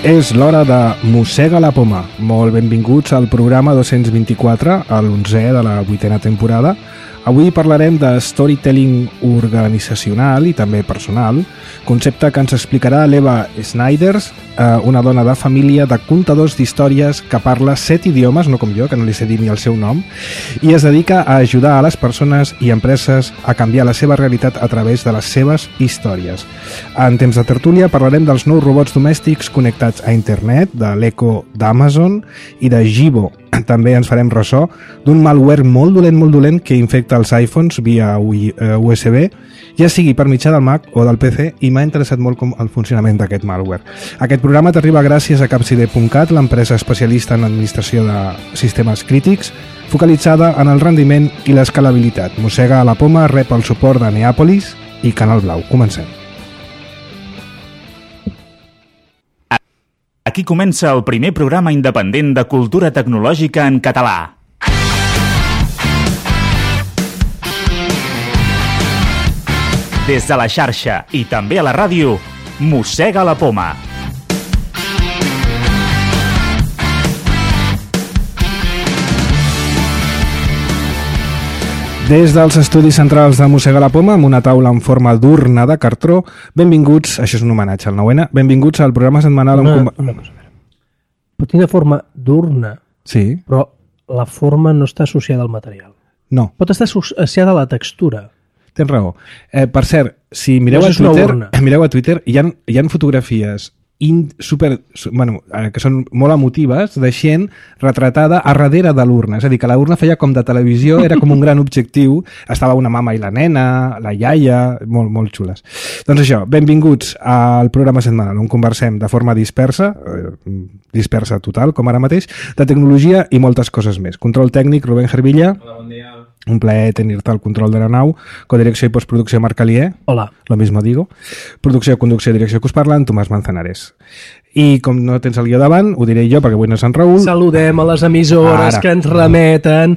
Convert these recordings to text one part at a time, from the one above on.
És l'hora de Mossega la Poma. Molt benvinguts al programa 224, a l'11è de la 8a temporada. Avui parlarem de storytelling organitzacional i també personal, concepte que ens explicarà l'Eva Snyders, una dona de família de contadors d'històries que parla 7 idiomes, no com jo, que no li sé dir ni el seu nom, i es dedica a ajudar a les persones i empreses a canviar la seva realitat a través de les seves històries. En temps de tertúlia parlarem dels nous robots domèstics connectats a internet, de l'Echo d'Amazon i de Jibo. També ens farem ressò d'un malware molt dolent que infecta els iPhones via USB, ja sigui per mitjà del Mac o del PC, i m'ha interessat molt el funcionament d'aquest malware. Aquest programa t'arriba gràcies a Capcide.cat, l'empresa especialista en administració de sistemes crítics, focalitzada en el rendiment i l'escalabilitat. Mossega la Poma rep el suport de Neàpolis i Canal Blau. Comencem. Aquí comença el primer programa independent de cultura tecnològica en català. Des de la xarxa i també a la ràdio, Mossega la Poma. Des dels estudis centrals de Mossega la Poma, amb una taula en forma d'urna de cartró, benvinguts, això és un homenatge al 9N, benvinguts al programa setmanal... Una cosa, pot tenir forma d'urna, sí, però la forma no està associada al material. No, Pot estar associada a la textura. tens raó. Per cert, si mireu No, a és una urna. Twitter, hi ha fotografies que són molt emotives de gent retratada a darrere de l'urna. És a dir, que la urna feia com de televisió, era com un gran objectiu, estava una mama i la nena, la iaia, molt xules. Doncs això, benvinguts al programa setmanal, on conversem de forma dispersa total, com ara mateix, de tecnologia i moltes coses més. Control tècnic, Rubén Gervilla. Hola, bon dia. Un plaer tenir-te al control de la nau. Codirecció i postproducció, Marc Alier. Hola. Lo mismo digo. Producció, conducció i direcció que us parlen, Tomàs Manzanares. I com no tens el guió davant, ho diré jo, perquè avui no és en Raül. Saludem a les emissores que ens remeten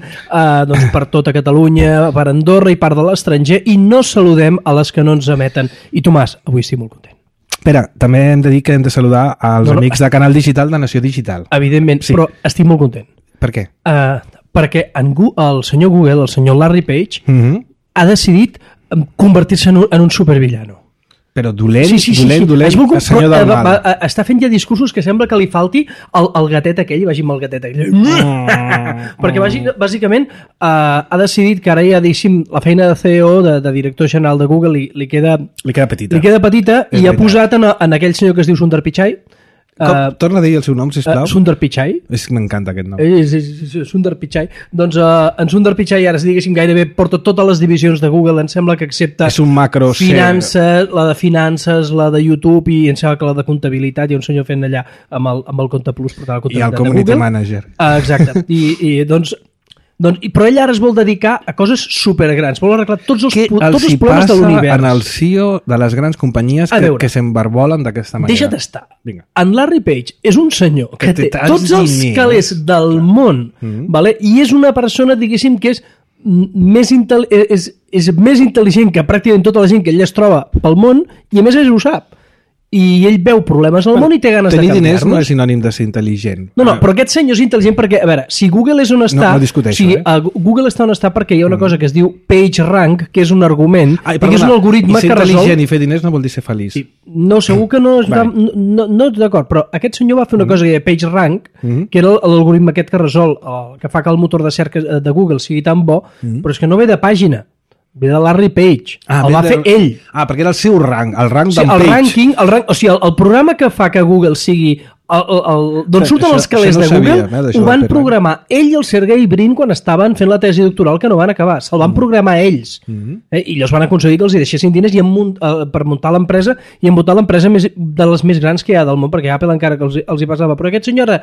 doncs per tota Catalunya, per Andorra i part de l'estranger, i no saludem a les que no ens emeten. I Tomàs, avui estic molt content. Espera, també hem de dir que hem de saludar als amics de Canal Digital de Nació Digital. Evidentment, Sí. però estic molt content. Per què? Perquè el senyor Google, el senyor Larry Page, ha decidit convertir-se en un supervillano. Però dolent, Sí. dolent, el senyor del mal. Està fent ja discursos que sembla que li falti el gatet aquell, vagi amb el gatet aquell. Perquè bàsicament ha decidit que ara ja, diguéssim, la feina de CEO, de director general de Google, li queda petita. I ha posat en aquell senyor que es diu Sundar Pichai. Torna a dir el seu nom, sisplau. Sundar Pichai. M'encanta aquest nom. És Sundar Pichai. Doncs en Sundar Pichai ara, diguéssim, gairebé porta totes les divisions de Google, em sembla que excepte És un macro finances, la de finances, la de YouTube i em sembla que la de comptabilitat, hi ha un senyor fent allà amb el Compte Plus portant la I comptabilitat el Community de Google. Manager. Exacte. Però ell ara es vol dedicar a coses supergrans, vol arreglar tots els problemes de l'univers. En el CEO de les grans companyies que s'embarbolen d'aquesta manera? Deixa't estar. Vinga. En Larry Page és un senyor que té tants tots els diners. calés del món, vale? I és una persona, diguéssim, que és més intel·ligent que pràcticament tota la gent que ell es troba pel món, i a més ho sap. I ell veu problemes al món i té ganes de canviar-los. Tenir diners no canviar-los. és sinònim de ser intel·ligent. No, però aquest senyor és intel·ligent perquè, a veure, si Google és on està... No discuteixo, Google està on està perquè hi ha una cosa que es diu PageRank, que és un argument, que és un algoritme que resol... ser intel·ligent i fer diners no vol dir ser feliç. Sí. No, segur que no... No, d'acord, però aquest senyor va fer una cosa que deia PageRank, que era l'algoritme aquest que resol, que fa que el motor de cerca de Google sigui tan bo, però és que no ve de pàgina. Ve de Larry Page. El va fer ell. Perquè era el seu rang, el rang d'en Page. O sigui, el programa que fa que Google sigui d'on surten els calés de Google, ho van programar ell i el Sergey Brin quan estaven fent la tesi doctoral que no van acabar. Se'l van programar ells. I llavors van aconseguir que els hi deixessin diners per muntar l'empresa i muntar l'empresa de les més grans que hi ha del món, perquè Apple encara que els hi passava. Però aquest senyor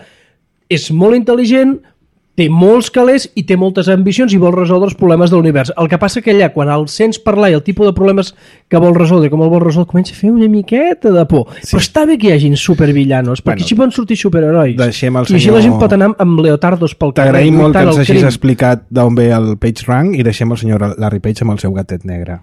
és molt intel·ligent, té molts calés i té moltes ambicions i vol resoldre els problemes de l'univers. El que passa que allà, quan el sents parlar i el tipus de problemes que vol resoldre i com el vol resoldre, comença a fer una miqueta de por. Sí. Però està bé que hi hagin supervillanos, perquè així poden sortir superherois. I així la gent pot anar amb leotardos pel carrer. T'agraïm molt que ens hagis explicat d'on ve el PageRank i deixem el senyor Larry Page amb el seu gatet negre.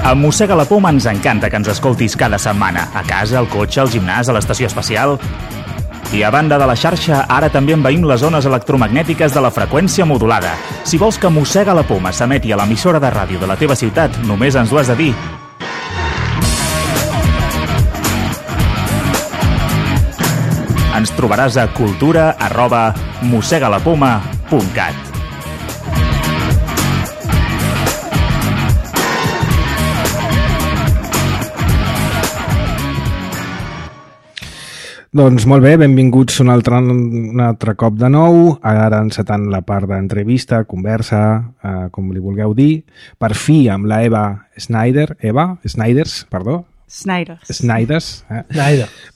A Mossega la Poma ens encanta que ens escoltis cada setmana, a casa, al cotxe, al gimnàs, a l'estació espacial. I a banda de la xarxa, ara també envaïm les zones electromagnètiques de la freqüència modulada. Si vols que Mossega la Poma s'emeti a l'emissora de ràdio de la teva ciutat, només ens ho has de dir. Ens trobaràs a cultura@mossegalapoma.cat. Doncs molt bé, benvinguts un altre cop de nou, ara encetant la part d'entrevista, conversa, com li vulgueu dir, per fi amb la Eva Snyders.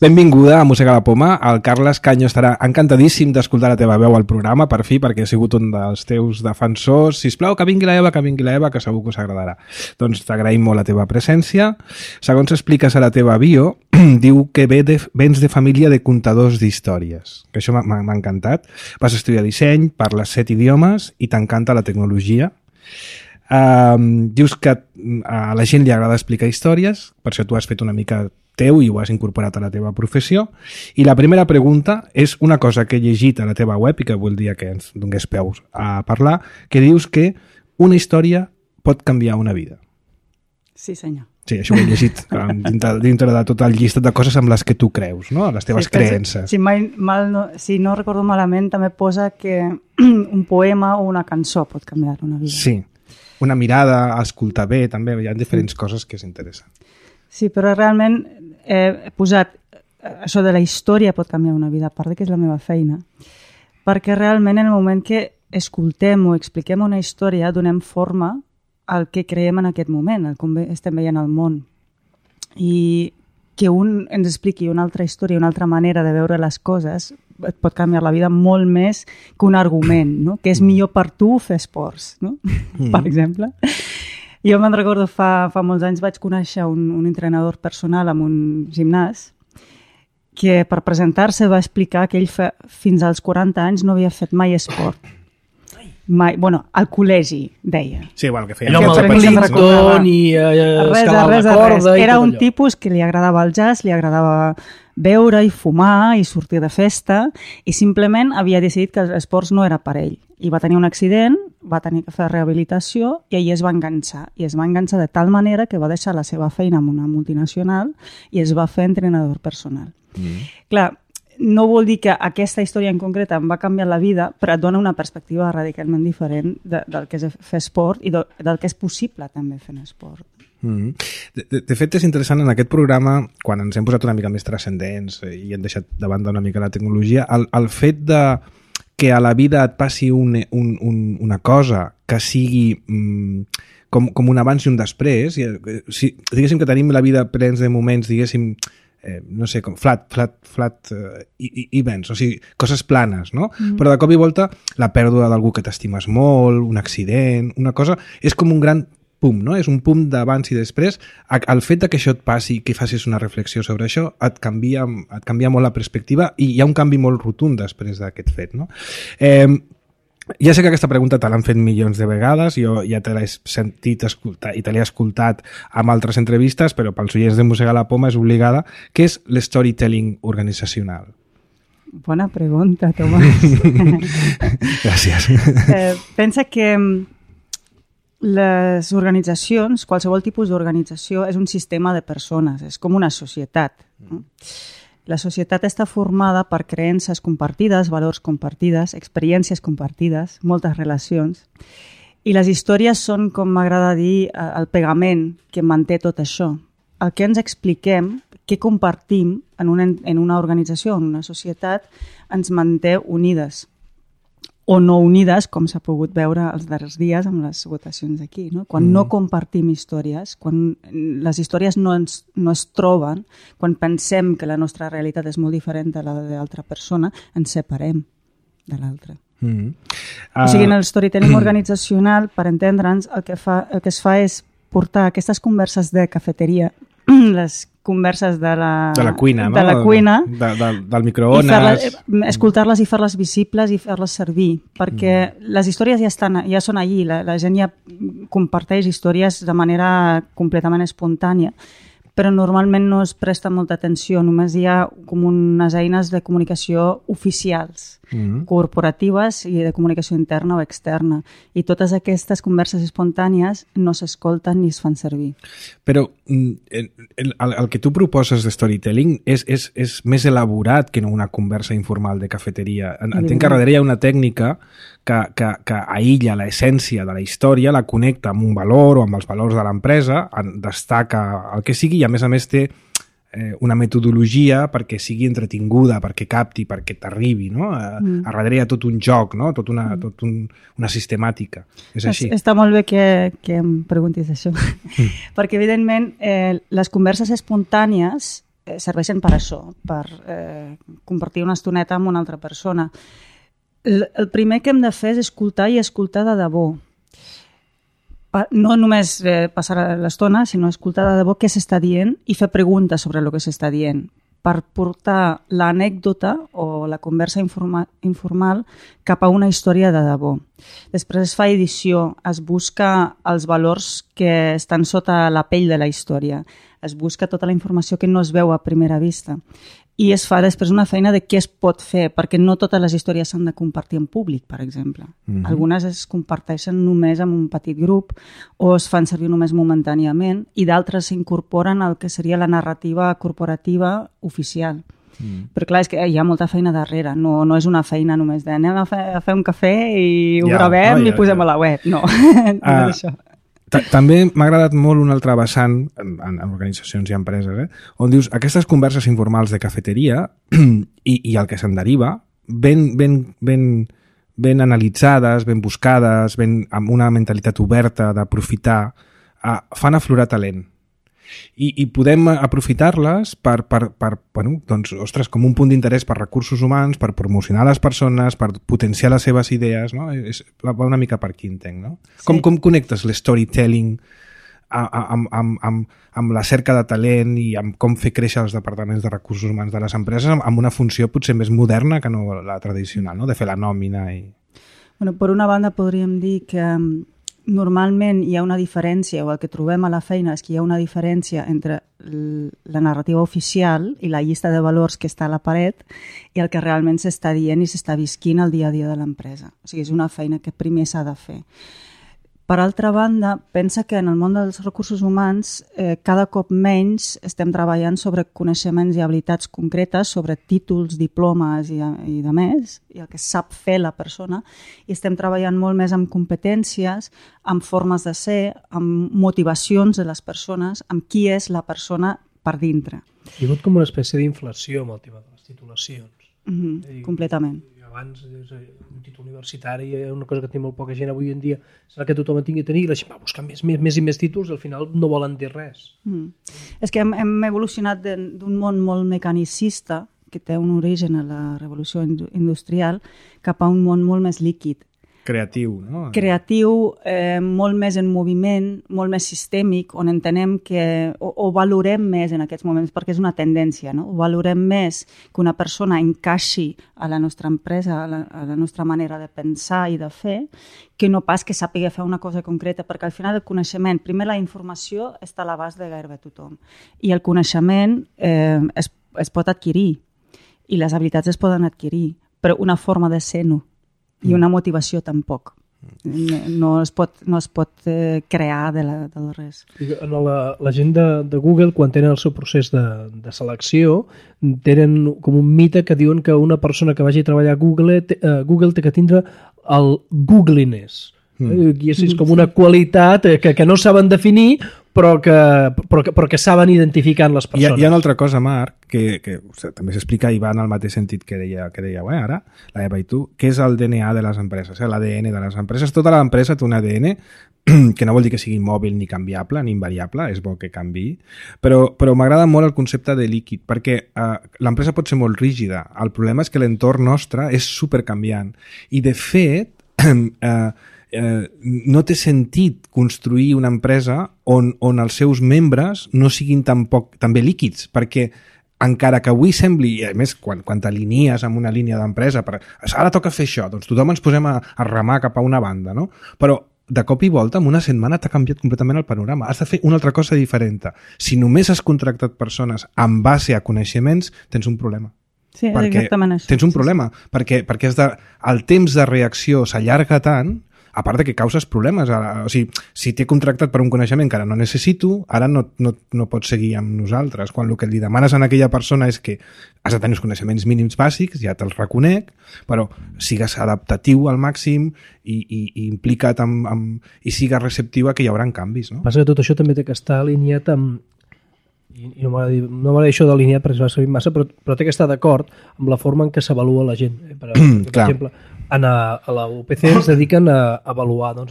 Benvinguda a Mossega la Poma. El Carles Canyo estarà encantadíssim d'escoltar la teva veu al programa, per fi, perquè he sigut un dels teus defensors. Sisplau, que vingui la Eva, que segur que us agradarà. Doncs t'agraïm molt la teva presència. Segons expliques a la teva bio, diu que vens de família de contadors d'històries, que això m'ha encantat. Vas estudiar disseny, parles 7 idiomes i t'encanta la tecnologia. Dius que a la gent li agrada explicar històries, per això tu has fet una mica teu i ho has incorporat a la teva professió. I la primera pregunta és una cosa que he llegit a la teva web i que voldria que ens donés peus a parlar, que dius que una història pot canviar una vida. Sí, senyor. Sí, això ho he llegit dintre de tot el llistat de coses amb les que tu creus, no? Les teves creences. Si no recordo malament, també posa que un poema o una cançó pot canviar una vida. Sí, una mirada, escoltar bé, també hi ha diferents coses que s'interessen. Sí, però realment he posat això de la història pot canviar una vida, a part que és la meva feina, perquè realment en el moment que escoltem o expliquem una història donem forma al que creiem en aquest moment, al com estem veient el món. I que un ens expliqui una altra història, una altra manera de veure les coses, et pot canviar la vida molt més que un argument, no? Que és millor per tu fer esports, no? Per exemple. Jo me'n recordo, fa molts anys vaig conèixer un entrenador personal en un gimnàs que per presentar-se va explicar que ell fins als 40 anys no havia fet mai esport. Mai, al col·legi, deia. Sí, que feia allò amb el Pellington i escalar la corda. Era un tipus que li agradava el jazz, li agradava beure i fumar i sortir de festa i simplement havia decidit que els esports no era per ell. I va tenir un accident, va tenir que fer rehabilitació i ahir es va enganxar. I es va enganxar de tal manera que va deixar la seva feina en una multinacional i es va fer entrenador personal. Clar, no vol dir que aquesta història en concret em va canviar la vida, però et dona una perspectiva radicalment diferent del que és fer esport i del que és possible també fer esport. De fet, és interessant en aquest programa, quan ens hem posat una mica més transcendents i hem deixat de banda una mica la tecnologia, el fet de que a la vida et passi una cosa que sigui com un abans i un després, diguéssim que tenim la vida plens de moments, diguéssim, no sé, com flat events, o sigui, coses planes, no? Però de cop i volta la pèrdua d'algú que t'estimes molt, un accident, una cosa, és com un gran pum, no? És un pum d'abans i després. El fet que això et passi i que facis una reflexió sobre això et canvia molt la perspectiva i hi ha un canvi molt rotund després d'aquest fet, no? Ja sé que aquesta pregunta te l'han fet milions de vegades, jo ja te l'he sentit escoltar i te l'he escoltat amb altres entrevistes, però pels oients de Mossega la Poma és obligada. Què és l'storytelling organizacional? Bona pregunta, Tomàs. Gràcies. Pensa que les organitzacions, qualsevol tipus d'organització, és un sistema de persones, és com una societat. La societat està formada per creences compartides, valors compartides, experiències compartides, moltes relacions. I les històries són, com m'agrada dir, el pegament que manté tot això. El que ens expliquem, què compartim en una organització, en una societat, ens manté unides. O no unides, com s'ha pogut veure els darrers dies amb les votacions aquí. No? Quan no compartim històries, quan les històries no es troben, quan pensem que la nostra realitat és molt diferent de la d'altra persona, ens separem de l'altra. O sigui, en el storytelling organitzacional, per entendre'ns, el que es fa és portar aquestes converses de cafeteria les converses de la cuina, no? Del microones. Escoltar-les i fer-les visibles i fer-les servir, perquè les històries ja són allí, la gent ja comparteix històries de manera completament espontània, però normalment no es presta molta atenció, només hi ha com unes eines de comunicació oficials, corporatives i de comunicació interna o externa, i totes aquestes converses espontànies no s'escolten ni es fan servir. Però el que tu proposes de storytelling és més elaborat que no una conversa informal de cafeteria. Entenc que darrere hi ha una tècnica que aïlla l'essència de la història, la connecta amb un valor o amb els valors de l'empresa, destaca el que sigui i a més té una metodologia perquè sigui entretinguda, perquè capti, perquè t'arribi, no? A darrere hi ha tot un joc, no? Tot una sistemàtica. És així. Està molt bé que em preguntis això, perquè evidentment les converses espontànies serveixen per això, per compartir una estoneta amb una altra persona. El primer que hem de fer és escoltar i escoltar de debò. No només passar l'estona, sinó escoltar de debò què s'està dient i fer preguntes sobre el que s'està dient per portar l'anècdota o la conversa informal cap a una història de debò. Després es fa edició, es busca els valors que estan sota la pell de la història, es busca tota la informació que no es veu a primera vista i es fa després una feina de què es pot fer, perquè no totes les històries s'han de compartir en públic, per exemple. Algunes es comparteixen només en un petit grup o es fan servir només momentàniament i d'altres s'incorporen al que seria la narrativa corporativa oficial. Però clar, és que hi ha molta feina darrere, no és una feina només de anem a fer un cafè i ho gravem i posem a la web, no és això. També m'ha agradat molt un altre vessant en organitzacions i empreses, on dius aquestes converses informals de cafeteria i el que se'n deriva, ben analitzades, ben buscades, amb una mentalitat oberta d'aprofitar, fan aflorar talent. I podem aprofitar-les per doncs, ostres, com un punt d'interès per recursos humans, per promocionar les persones, per potenciar les seves idees, no? Va una mica per aquí, entenc, no? Sí. Com connectes l'storytelling amb la cerca de talent i amb com fer créixer els departaments de recursos humans de les empreses amb una funció potser més moderna que no la tradicional, no? De fer la nòmina i... Bueno, per una banda podríem dir que normalment hi ha una diferència, o el que trobem a la feina és que hi ha una diferència entre la narrativa oficial i la llista de valors que està a la paret i el que realment s'està dient i s'està visquint al dia a dia de l'empresa. O sigui, és una feina que primer s'ha de fer. Per altra banda, pensa que en el món dels recursos humans cada cop menys estem treballant sobre coneixements i habilitats concretes, sobre títols, diplomes i de més, i el que sap fer la persona, i estem treballant molt més amb competències, amb formes de ser, amb motivacions de les persones, amb qui és la persona per dintre. Hi ha hagut com una espècie d'inflació amb el tema de les titulacions. Completament. Abans un títol universitari és una cosa que té molt poca gent avui en dia, serà que tothom en tingui a tenir i la gent va buscar més i més títols i al final no volen dir res. És que hem evolucionat d'un món molt mecanicista que té un origen a la revolució industrial cap a un món molt més líquid. Creatiu, no? Creatiu, molt més en moviment, molt més sistèmic, on entenem que o valorem més en aquests moments, perquè és una tendència, no? O valorem més que una persona encaixi a la nostra empresa, a la nostra manera de pensar i de fer, que no pas que sàpiga fer una cosa concreta, perquè al final el coneixement, primer la informació està a l'abast de gairebé tothom, i el coneixement es pot adquirir, i les habilitats es poden adquirir, però una forma de ser no. I una motivació tampoc. No es pot crear de res. La gent de Google, quan tenen el seu procés de selecció, tenen com un mite que diuen que una persona que vagi a treballar a Google té que tindre el Googliness. I és com una qualitat que no saben definir, però que saben identificar en les persones. Hi ha una altra cosa, Marc, que també s'explica i va en el mateix sentit que dèieu ara, la Eva i tu, que és el DNA de les empreses, l'ADN de les empreses. Tota l'empresa té un ADN que no vol dir que sigui mòbil ni canviable ni invariable, és bo que canviï, però m'agrada molt el concepte de líquid, perquè l'empresa pot ser molt rígida. El problema és que l'entorn nostre és supercanviant i, de fet, no té sentit construir una empresa on els seus membres no siguin també líquids, perquè encara que avui sembli, i a més quan t'alinies amb una línia d'empresa, ara toca fer això, doncs tothom ens posem a remar cap a una banda, no? Però de cop i volta, en una setmana t'ha canviat completament el panorama. Has de fer una altra cosa diferent. Si només has contractat persones en base a coneixements, tens un problema. Sí, exactament això. Tens un problema, perquè el temps de reacció s'allarga tant, a part que causes problemes. O sigui, si t'he contractat per un coneixement que ara no necessito, ara no pots seguir amb nosaltres. Quan el que li demanes a aquella persona és que has de tenir els coneixements mínims bàsics, ja te'ls reconec, però sigues adaptatiu al màxim i implica't i sigues receptiu a que hi haurà canvis. No? Passa que tot això també té que estar alineat amb... I no m'agrada això d'alineat perquè es va servir massa, però té que estar d'acord amb la forma en què s'avalua la gent. Per exemple, a la UPC ens dediquen a avaluar els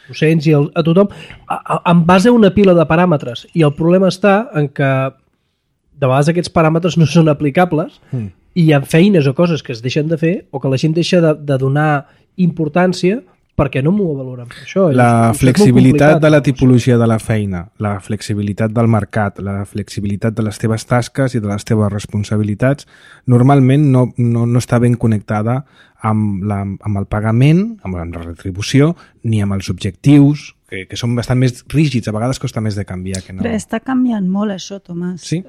docents i a tothom en base a una pila de paràmetres, i el problema està en que de vegades aquests paràmetres no són aplicables i hi ha feines o coses que es deixen de fer o que la gent deixa de donar importància perquè no m'ho valoren per això. La flexibilitat de la tipologia de la feina, la flexibilitat del mercat, la flexibilitat de les teves tasques i de les teves responsabilitats, normalment no està ben connectada amb el pagament, amb la retribució, ni amb els objectius, que són bastant més rígids, a vegades costa més de canviar. Que no. Però està canviant molt això, Tomàs. Sí?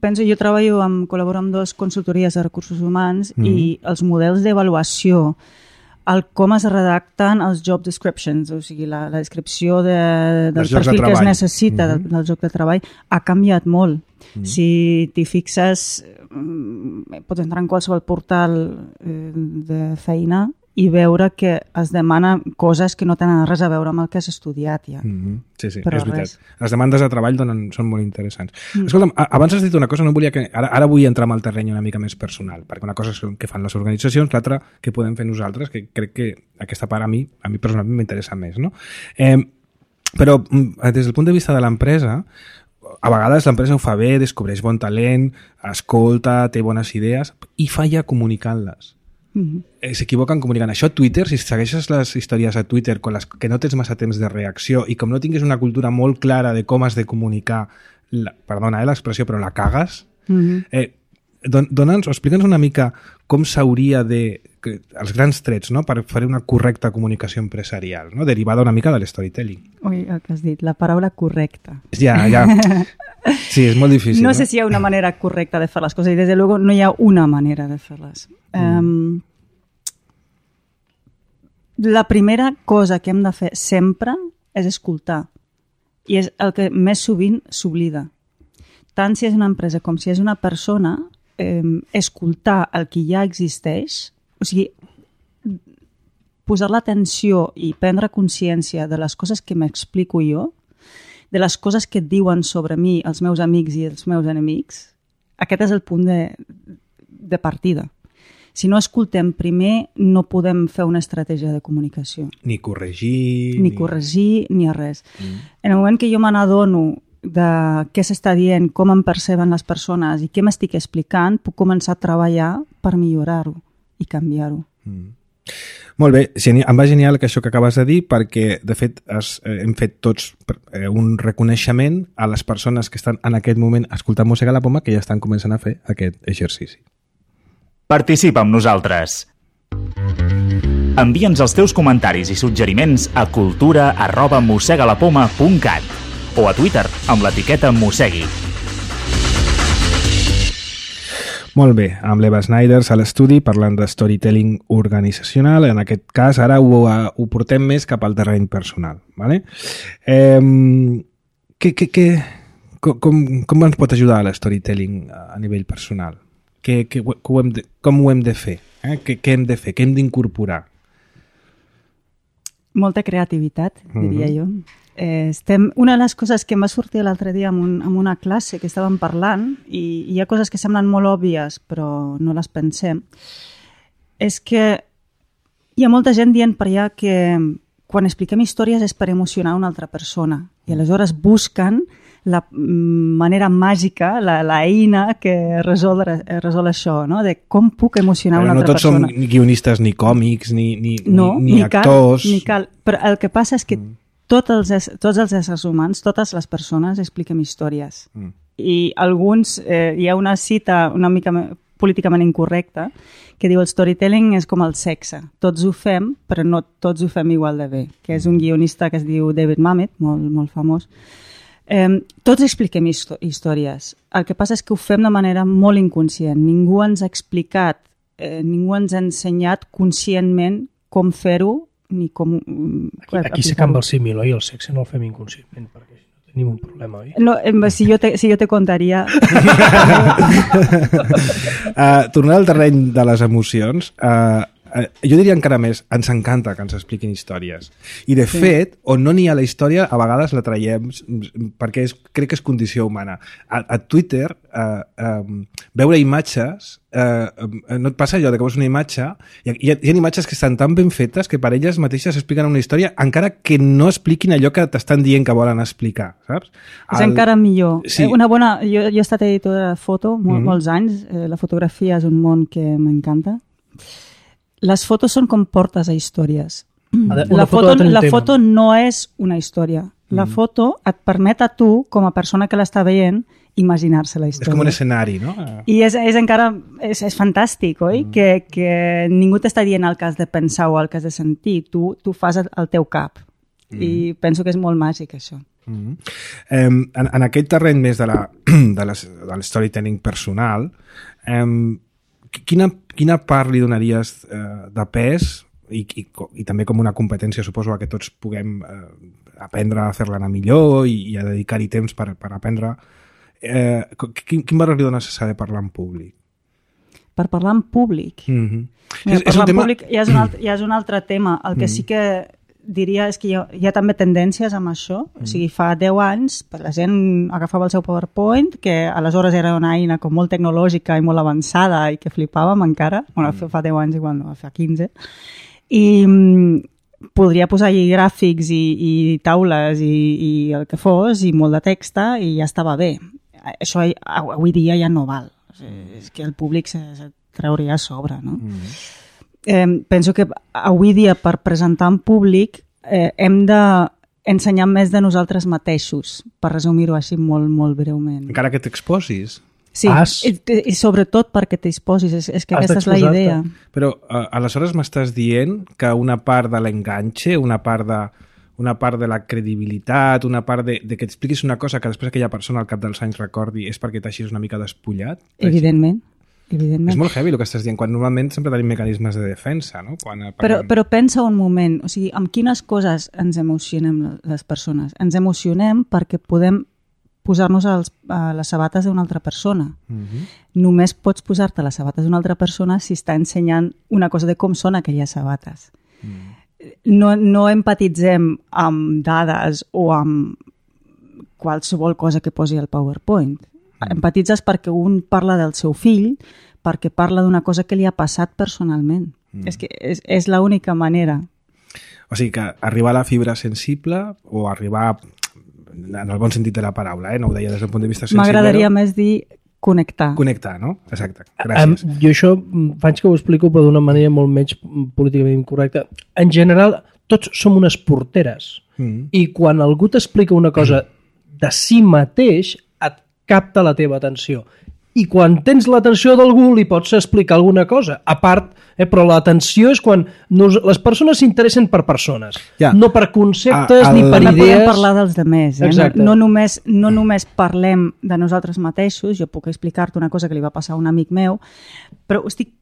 Penso, jo col·laboro amb 2 consultories de recursos humans i els models d'avaluació, com es redacten els job descriptions, o sigui, la descripció del perfil que es necessita del lloc de treball, ha canviat molt. Si t'hi fixes, pots entrar en qualsevol portal de feina i veure que es demanen coses que no tenen res a veure amb el que has estudiat ja. Sí, és veritat. Les demandes de treball són molt interessants. Escolta'm, abans has dit una cosa, no volia que... Ara vull entrar en el terreny una mica més personal, perquè una cosa és que fan les organitzacions, l'altra que podem fer nosaltres, que crec que aquesta part a mi personalment m'interessa més, no? Però des del punt de vista de l'empresa, a vegades l'empresa ho fa bé, descobreix bon talent, escolta, té bones idees i falla comunicant-les. S'equivoquen comunicant això a Twitter. Si segueixes les històries a Twitter que no tens massa temps de reacció i com no tinguis una cultura molt clara de com has de comunicar, perdona l'expressió, però la cagues, explica'ns una mica com s'hauria els grans trets, no?, per fer una correcta comunicació empresarial, no?, derivada una mica de l'storytelling. Ui, el que has dit, la paraula correcta. Ja. Sí, és molt difícil. No sé si hi ha una manera correcta de fer les coses i, des de luego, no hi ha una manera de fer-les. La primera cosa que hem de fer sempre és escoltar. I és el que més sovint s'oblida. Tant si és una empresa com si és una persona, escoltar el que ja existeix, o sigui, posar l'atenció i prendre consciència de les coses que m'explico jo, de les coses que et diuen sobre mi els meus amics i els meus enemics, aquest és el punt de partida. Si no escoltem primer, no podem fer una estratègia de comunicació. Ni corregir... Ni a res. En el moment que jo me n'adono de què s'està dient, com em perceben les persones i què m'estic explicant, puc començar a treballar per millorar-ho i canviar-ho. Molt bé, em va genial això que acabes de dir, perquè de fet hem fet tots un reconeixement a les persones que estan en aquest moment escoltant Mossega la Poma, que ja estan començant a fer aquest exercici. Participa amb nosaltres. Envia'ns els teus comentaris i suggeriments a cultura@mossegalapoma.cat o a Twitter amb l'etiqueta Mossegui. Molt bé, amb l'Eva Snyders a l'estudi parlant de storytelling organitzacional. En aquest cas ara ho portem més cap al terreny personal. ¿Vale? Com ens pot ajudar l'storytelling a nivell personal? Com ho hem de fer? Què hem de fer? Què hem d'incorporar? Molta creativitat, diria jo. Una de les coses que em va sortir l'altre dia en una classe que estàvem parlant, i hi ha coses que semblen molt òbvies però no les pensem, és que hi ha molta gent dient per allà que quan expliquem històries és per emocionar una altra persona i aleshores busquen la manera màgica, l'eina que resol això, no? De com puc emocionar una altra persona. Però no tots som guionistes ni còmics, ni actors... Ni cal, però el que passa és que tots els éssers humans, totes les persones expliquem històries. I alguns, hi ha una cita una mica políticament incorrecta que diu el storytelling és com el sexe. Tots ho fem, però no tots ho fem igual de bé, que és un guionista que es diu David Mamet, molt famós. Tots expliquem històries. El que passa és que ho fem de manera molt inconscient. Ningú ens ha explicat, ningú ens ha ensenyat conscientment com fer-ho ni com... Aquí s'acaba el símil, oi? El sexe no el fem inconscientment, perquè tenim un problema, oi? No, si jo te contaria... Tornant al terreny de les emocions, jo diria encara més, ens encanta que ens expliquin històries. I de fet, on no n'hi ha la història, a vegades la traiem perquè crec que és condició humana. A Twitter, veure imatges, no et passa allò de que veus una imatge, hi ha imatges que estan tan ben fetes que per elles mateixes expliquen una història, encara que no expliquin allò que t'estan dient que volen explicar, saps? És encara millor. Sí. Jo he estat editora de foto molts anys, la fotografia és un món que m'encanta. Les fotos són com portes a històries. La foto no és una història. La foto et permet a tu, com a persona que l'està veient, imaginar-se la història. És com un escenari, no? I és encara... És fantàstic, oi? Que ningú t'està dient el que has de pensar o el que has de sentir. Tu fas el teu cap. I penso que és molt màgic, això. En aquest terreny més de l'storytelling personal, quina part li donaries de pes i també com una competència, suposo, que tots puguem aprendre a fer-la anar millor i a dedicar-hi temps per aprendre. Quin valor li dones a saber parlar en públic? Per parlar en públic? Parlar en públic ja és un altre tema. El que sí que diria és que hi ha també tendències amb això. O sigui, fa 10 anys la gent agafava el seu PowerPoint, que aleshores era una eina com molt tecnològica i molt avançada i que flipàvem encara. Bueno, fa 10 anys igual no, fa 15. I podria posar-hi gràfics i taules i el que fos i molt de text i ja estava bé. Això avui dia ja no val. És que el públic se trauria a sobre, no? Penso que avui dia per presentar en públic hem d'ensenyar més de nosaltres mateixos, per resumir-ho així molt, molt breument. Encara que t'exposis. Sí, i sobretot perquè t'exposis, és que aquesta és la idea. Però aleshores m'estàs dient que una part de l'enganxe, una part de la credibilitat, una part de que t'expliquis una cosa que després aquella persona al cap dels anys recordi és perquè t'hagis una mica despullat? Evidentment. És molt heavy el que estàs dient, quan normalment sempre tenim mecanismes de defensa, no? Però pensa un moment, o sigui, amb quines coses ens emocionem les persones? Ens emocionem perquè podem posar-nos a les sabates d'una altra persona. Només pots posar-te a les sabates d'una altra persona si està ensenyant una cosa de com són aquelles sabates. No empatitzem amb dades o amb qualsevol cosa que posi al PowerPoint. Empatitzes perquè un parla del seu fill, perquè parla d'una cosa que li ha passat personalment. És que és l'única manera. O sigui que arribar a la fibra sensible o arribar, en el bon sentit de la paraula, no ho deia des del punt de vista sensible. M'agradaria més dir connectar. Connectar, no? Exacte. Gràcies. Jo això faig que ho explico però d'una manera molt menys políticament incorrecta. En general, tots som unes porteres. I quan algú t'explica una cosa de si mateix, capta la teva atenció. I quan tens l'atenció d'algú li pots explicar alguna cosa. A part, però l'atenció és quan les persones s'interessen per persones, no per conceptes ni per idees. No podem parlar dels demés. No només parlem de nosaltres mateixos. Jo puc explicar-te una cosa que li va passar a un amic meu, però ho estic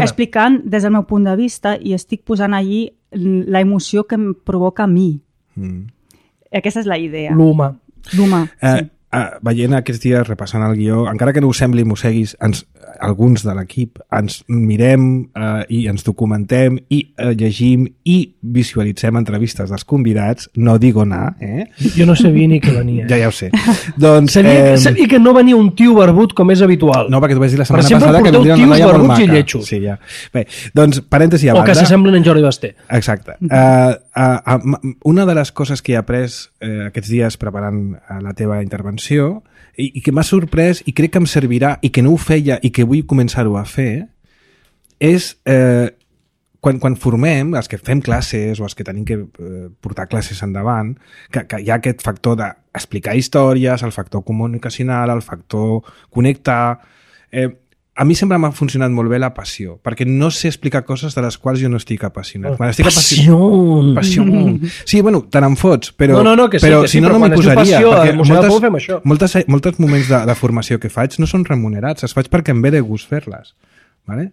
explicant des del meu punt de vista i estic posant allí la emoció que em provoca a mi. Aquesta és la idea. L'humà. Sí. Veient aquests dies, repassant el guió, encara que no us sembli, mosseguis, alguns de l'equip ens mirem i ens documentem i llegim i visualitzem entrevistes dels convidats, no digo nada, Jo no sabia ni que venia. Ja ho sé. Doncs, sabia que no venia un tio barbut com és habitual. No, perquè tu vaig dir la setmana passada que vindria una noia molt maca. Sí, ja. Bé, doncs, parèntesi a banda. O que s'assemblen en Jordi Basté. Exacte. Una de les coses que he après aquests dies preparant la teva intervenció i que m'ha sorprès i crec que em servirà i que no ho feia i que vull començar-ho a fer és quan formem, els que fem classes o els que tenim que portar classes endavant, que hi ha aquest factor d'explicar històries, el factor comunicacional, el factor connectar. A mi sempre m'ha funcionat molt bé la passió, perquè no sé explicar coses de les quals jo no estic apassionat. Passió! Sí, bueno, te n'en fots, però, que sí, si no m'hi posaria. Perquè molts moments de formació que faig no són remunerats, es faig perquè em ve de gust fer-les. Vale?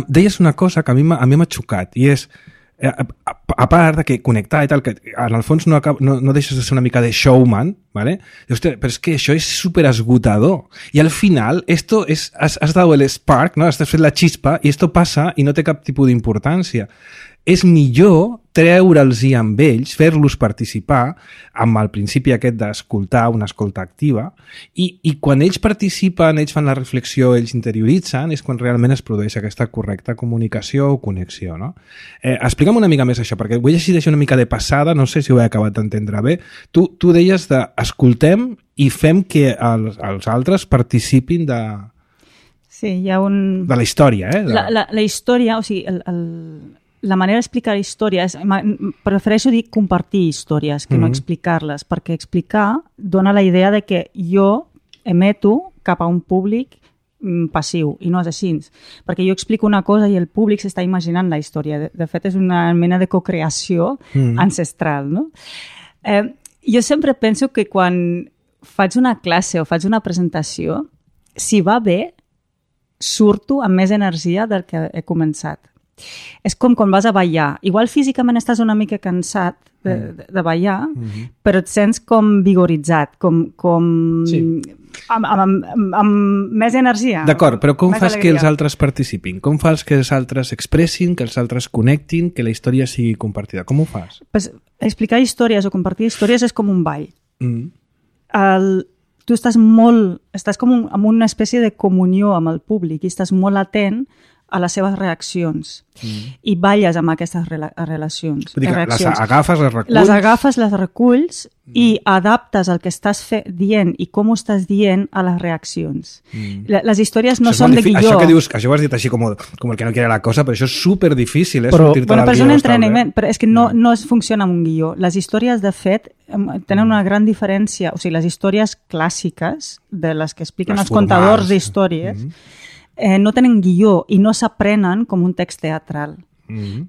Deies una cosa que a mi m'ha xocat, i és, a part de que connectar i tal, que en el fons no deixes de ser una mica de showman, ¿vale? Hostia, però és que això és super esgotador. I al final, esto has dado el spark, ¿no? Has fet la chispa i esto passa i no té cap tipus d'importància. És millor treure'ls-hi amb ells, fer-los participar amb el principi aquest d'escoltar, una escolta activa, i quan ells participen, ells fan la reflexió, ells interioritzen, és quan realment es produeix aquesta correcta comunicació o connexió, no? Explica'm una mica més això, perquè vull llegir una mica de passada, no sé si ho he acabat d'entendre bé. Tu deies escoltem i fem que els altres participin de... Sí, hi ha un... De la història, La història, o sigui, la manera d'explicar històries, prefereixo dir compartir històries que no explicar-les, perquè explicar dona la idea de que jo emeto cap a un públic passiu, i no és així. Perquè jo explico una cosa i el públic s'està imaginant la història. De fet, és una mena de cocreació ancestral, no? Jo sempre penso que quan faig una classe o faig una presentació, si va bé, surto amb més energia del que he començat. És com quan vas a ballar. Igual físicament estàs una mica cansat de ballar, però et sents com vigoritzat, amb més energia. D'acord, però com fas que els altres participin? Com fas que els altres expressin, que els altres connectin, que la història sigui compartida? Com ho fas? Pues, explicar històries o compartir històries és com un ball. Tu estàs com en una espècie de comunió amb el públic i estàs molt atent a les seves reaccions i balles amb aquestes relacions. Vull dir que les agafes, les reculls... Les agafes, les reculls i adaptes el que estàs dient i com ho estàs dient a les reaccions. Les històries no són de guió. Això que dius, això ho has dit així com el que no quiere la cosa, però això és superdifícil, però és un entrenament, però és que no funciona amb un guió. Les històries, de fet, tenen una gran diferència. O sigui, les històries clàssiques, de les que expliquen els contadors d'històries, no tenen guió i no s'aprenen com un text teatral.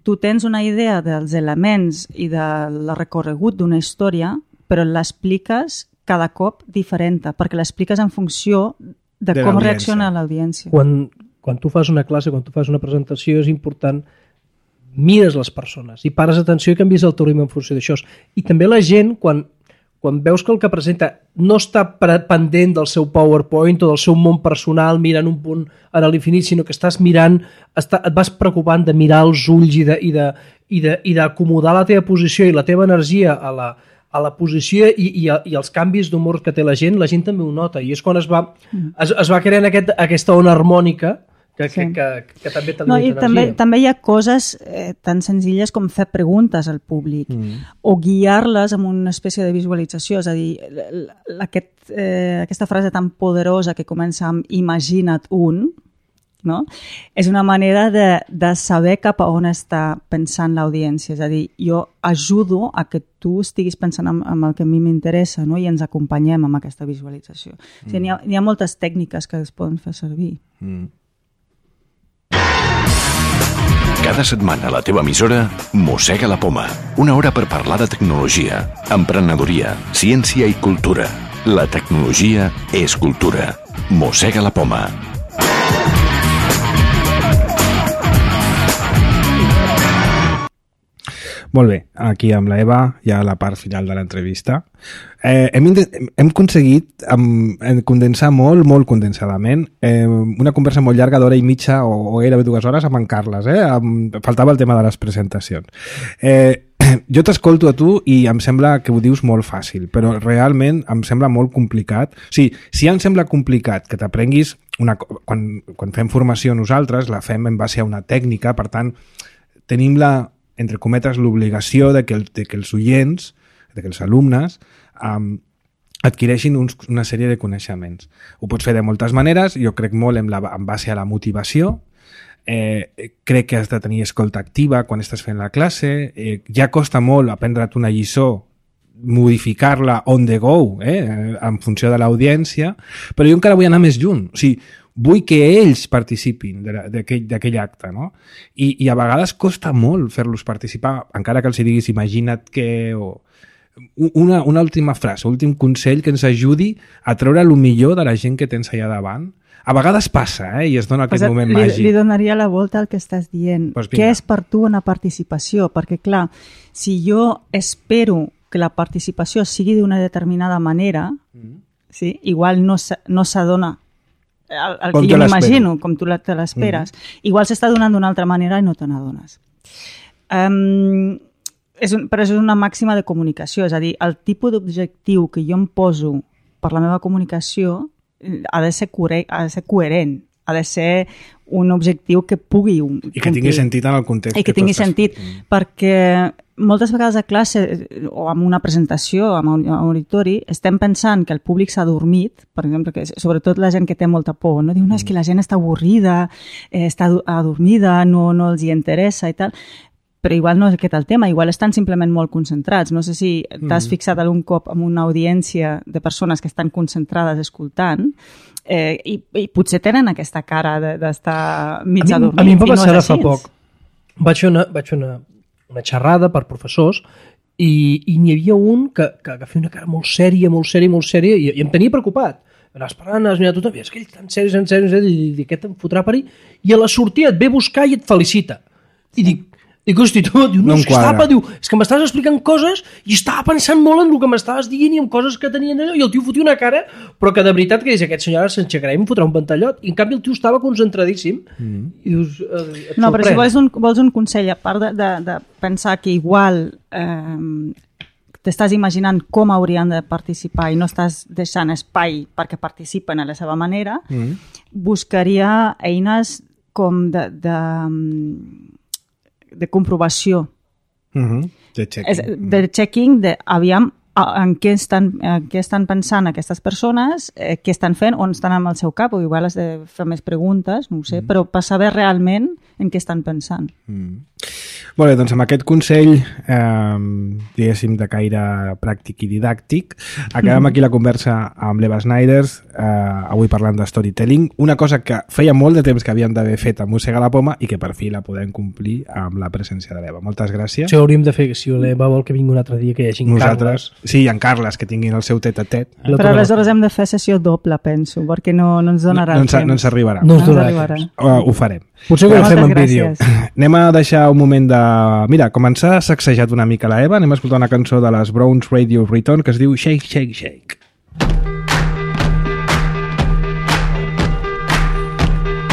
Tu tens una idea dels elements i del recorregut d'una història, però l'expliques cada cop diferent, perquè l'expliques en funció de com reacciona l'audiència. Quan tu fas una classe, quan tu fas una presentació, és important, mires les persones i pares atenció i canvies el teu ritme en funció d'això. I també la gent, quan veus que el que presenta no està pendent del seu PowerPoint o del seu món personal mirant un punt a l'infinit, sinó que estàs mirant, et vas preocupant de mirar els ulls i d'acomodar la teva posició i la teva energia a la posició i els canvis d'humor que té la gent també ho nota. I és quan es va creant aquesta ona harmònica que també també hi ha coses tan senzilles com fer preguntes al públic o guiar-les amb una espècie de visualització, és a dir, aquesta frase tan poderosa que comença amb imagina't un, no? És una manera de saber cap a on està pensant l'audiència, és a dir, jo ajudo a que tu estiguis pensant en el que a mi m'interessa, no? I ens acompanyem amb aquesta visualització. O sigui, hi ha moltes tècniques que es poden fer servir. Cada setmana a la teva emissora Mossega la Poma. Una hora per parlar de tecnologia, emprenedoria, ciència i cultura. La tecnologia és cultura. Mossega la Poma. Molt bé, aquí amb la Eva, ja a la part final de l'entrevista. Hem aconseguit condensar molt condensadament una conversa molt llarga d'hora i mitja o gairebé 2 hores amb en Carles. Faltava el tema de les presentacions. Jo t'escolto a tu i em sembla que ho dius molt fàcil, però realment em sembla molt complicat. O sigui, si em sembla complicat que t'aprenguis quan fem formació nosaltres, la fem en base a una tècnica, per tant, tenim entre cometes, l'obligació de que els oients, de que els alumnes adquireixin una sèrie de coneixements. Ho pots fer de moltes maneres, jo crec molt en base a la motivació, crec que has de tenir escolta activa quan estàs fent la classe, ja costa molt aprendre't una lliçó, modificar-la on the go, en funció de l'audiència, però jo encara vull anar més lluny, o sigui, vull que ells participin d'aquell acte, no? I a vegades costa molt fer-los participar, encara que els diguis imagina't que... Una última frase, últim consell que ens ajudi a treure el millor de la gent que tens allà davant. A vegades passa, i es dona aquest moment màgic. Li donaria la volta al que estàs dient. Què és per tu una participació? Perquè, clar, si jo espero que la participació sigui d'una determinada manera, sí, igual no s'adona el que jo m'imagino, com tu te l'esperes. Igual s'està donant d'una altra manera i no te n'adones. Però és una màxima de comunicació, és a dir, el tipus d'objectiu que jo em poso per la meva comunicació ha de ser coherent, ha de ser un objectiu que pugui complir. I que tingui sentit en el context. I que tingui sentit, perquè moltes vegades a classe o en una presentació, en un auditori, estem pensant que el públic s'ha dormit, per exemple, que sobretot la gent que té molta por, no? Diu, no, és que la gent està avorrida, està adormida, no els hi interessa i tal... però igual no és aquest el tema, igual estan simplement molt concentrats. No sé si t'has fixat algun cop en una audiència de persones que estan concentrades escoltant i potser tenen aquesta cara d'estar mig adormits. A mi em va passar fa poc. Vaig fer una xerrada per professors i n'hi havia un que feia una cara molt sèria i em tenia preocupat. Anaves parlant, has mirat tothom, i és que ell tan sèrio, i aquest em fotrà per ahí, i a la sortida et ve a buscar i et felicita. I dic, hosti, tu, no és que m'estaves explicant coses i estava pensant molt en el que m'estaves dient i en coses que tenien allò, i el tio fotia una cara, però que de veritat que dius, aquest senyor ara s'enxecarà i em fotrà un pantallot, i en canvi el tio estava concentradíssim. I dius, no, però si vols un consell, a part de pensar que igual t'estàs imaginant com haurien de participar i no estàs deixant espai perquè participen a la seva manera, buscaria eines com de comprovació, de checking, aviam en què estan pensant aquestes persones, què estan fent, on estan amb el seu cap, o igual has de fer més preguntes, no ho sé, però per saber realment en què estan pensant. Molt bé, doncs amb aquest consell, diguéssim, de caire pràctic i didàctic, acabem aquí la conversa amb l'Eva Snyders, avui parlant de storytelling, una cosa que feia molt de temps que havíem d'haver fet a Mossega la Poma i que per fi la podem complir amb la presència de l'Eva. Moltes gràcies. Això hauríem de fer, si l'Eva vol que vingui un altre dia, que hi hagi en Carles. Sí, i en Carles, que tinguin el seu tet-a-tet. Però aleshores hem de fer sessió doble, penso, perquè no ens donarà el temps. No ens arribarà. No ens donarà. Ho farem. Potser que ho fem en vídeo. Anem a deixar un moment de... Mira, com ens ha sacsejat una mica la Eva, anem a escoltar una cançó de les Browns Radio Return que es diu Shake, Shake, Shake.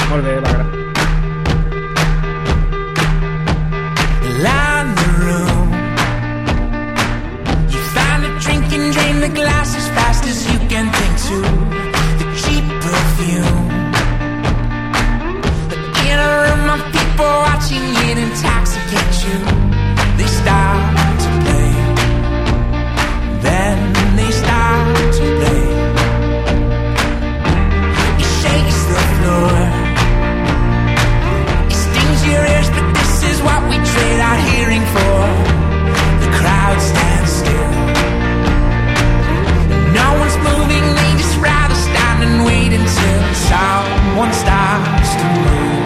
Molt bé, Eva. The glass as fast as you can think to the cheap perfume. In a room of people watching it intoxicate you. They start to play. Then they start to play. It shakes the floor. It stings your ears, but this is what we trade our hearing for. The crowd stands still. No one's moving, they just rather stand and wait until someone starts to move.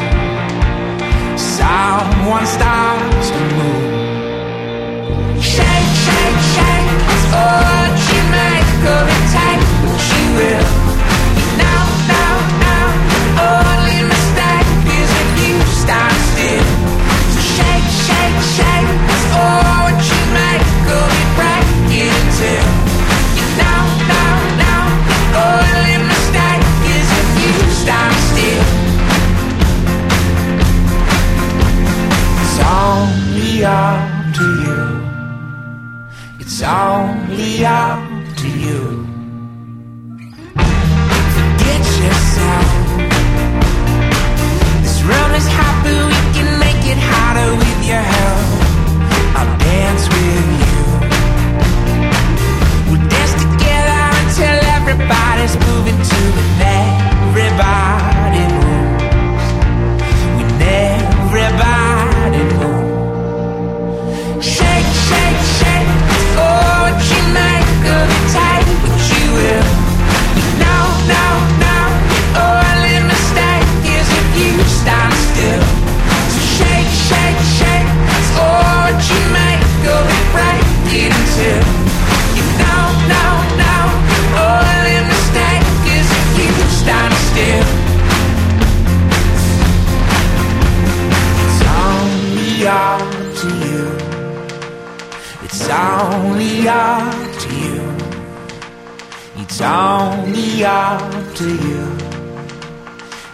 Someone starts to move. only up to you. Forget yourself. This room is hot, but we can make it hotter with your help. I'll dance with you. We'll dance together until everybody's moving to it. Everybody moves. When everybody moves. Shake, shake, shake. Oh, what you make of it tight, but you will. No, no, no. Oh, only mistake is if you stand still. So shake, shake, shake. Oh, what you make of it, break it until you know, no, no. Oh, only mistake is if you stand still. It's only up to you. It's only up to you. It's only up to you.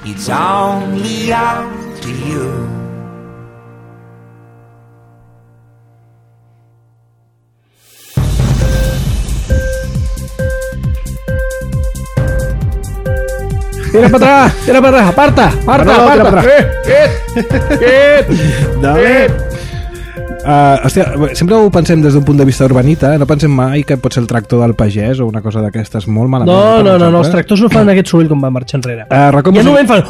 It's only up to you. Tira para atrás, aparta. Dale. Hòstia, sempre ho pensem des d'un punt de vista urbanita, no pensem mai que pot ser el tractor del pagès o una cosa d'aquestes molt malament. No, els tractors no fan aquest soroll com va marxar enrere. Ja no fan...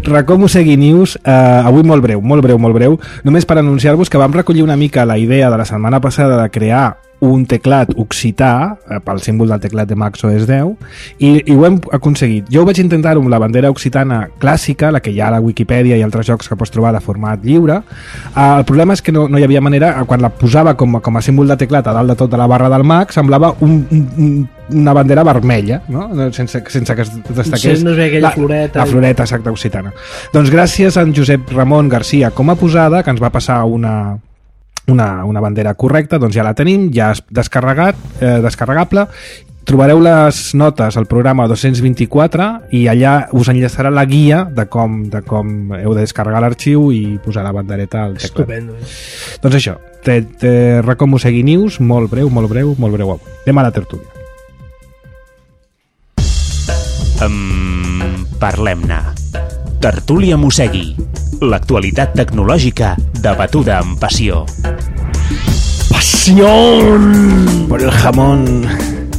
Racó Mosegui News, avui molt breu, només per anunciar-vos que vam recollir una mica la idea de la setmana passada de crear un teclat occità pel símbol del teclat de Mac OS X i ho hem aconseguit. Jo ho vaig intentar-ho amb la bandera occitana clàssica, la que hi ha a la Wikipedia i altres jocs que pots trobar de format lliure. El problema és que no hi havia manera, quan la posava com a símbol de teclat a dalt de tot de la barra del Mac, semblava una bandera vermella, no? Sense que es destaqués no es veia aquella floreta. La floreta exacta occitana. Doncs gràcies a en Josep Ramon Garcia com a posada, que ens va passar una bandera correcta, doncs ja la tenim, ja és descarregable. Trobareu les notes al programa 224 i allà us enllaçarà la guia de com heu de descarregar l'arxiu i posar la bandereta al teclat. Estupendo. Doncs això, Racó Mosegui News, molt breu avui. Anem a la tertúlia. Parlem-ne. Tertúlia Mosegui. L'actualitat tecnològica debatuda amb passió. Passió por el jamón.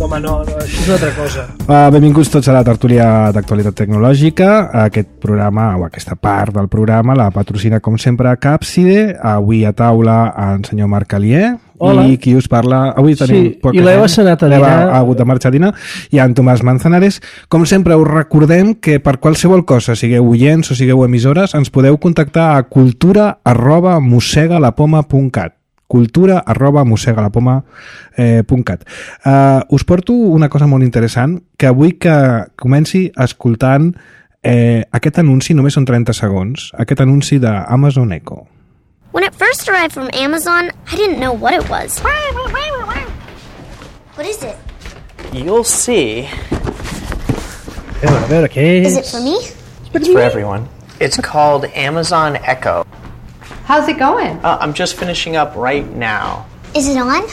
Home, no, això és una altra cosa. Benvinguts tots a la tertúlia d'actualitat tecnològica. Aquest programa, o aquesta part del programa, la patrocina com sempre Càpside. Avui a taula en senyor Marc Alier. Hola. I qui us parla... Avui tenim i l'Eva Senat a dinar. Ha hagut de marxar a dinar. I en Tomàs Manzanares. Com sempre, us recordem que per qualsevol cosa, sigueu oients o sigueu emissores, ens podeu contactar a cultura@mosegalapoma.cat cultura@mosegalapoma.cat. Us porto una cosa molt interessant, que avui que comenci escoltant aquest anunci, només són 30 segons, aquest anunci d'Amazon Echo. When it first arrived from Amazon, I didn't know what it was. What is it? You'll see. A veure, què és? Is it for me? It's for everyone. It's called Amazon Echo. How's it going? I'm just finishing up right now. Is it on?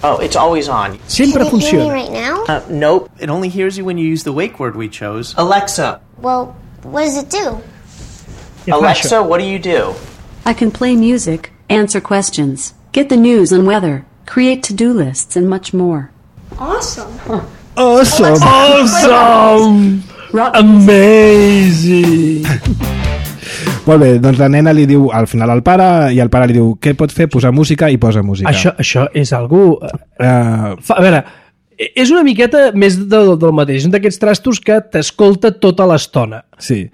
Oh, it's always on. Sempre Can it hear me funciona. right now? Nope. It only hears you when you use the wake word we chose. Alexa. Well, what does it do? Què fa Alexa, això? what do you do? I can play music, answer questions, get the news and weather, create to-do lists, and much more. Awesome. Awesome! Amazing! Molt bé, doncs la nena li diu al final al pare i el pare li diu què pot fer? Posar música i posa música. Això és algú... A veure, és una miqueta més del mateix, un d'aquests trastos que t'escolta tota l'estona. Sí.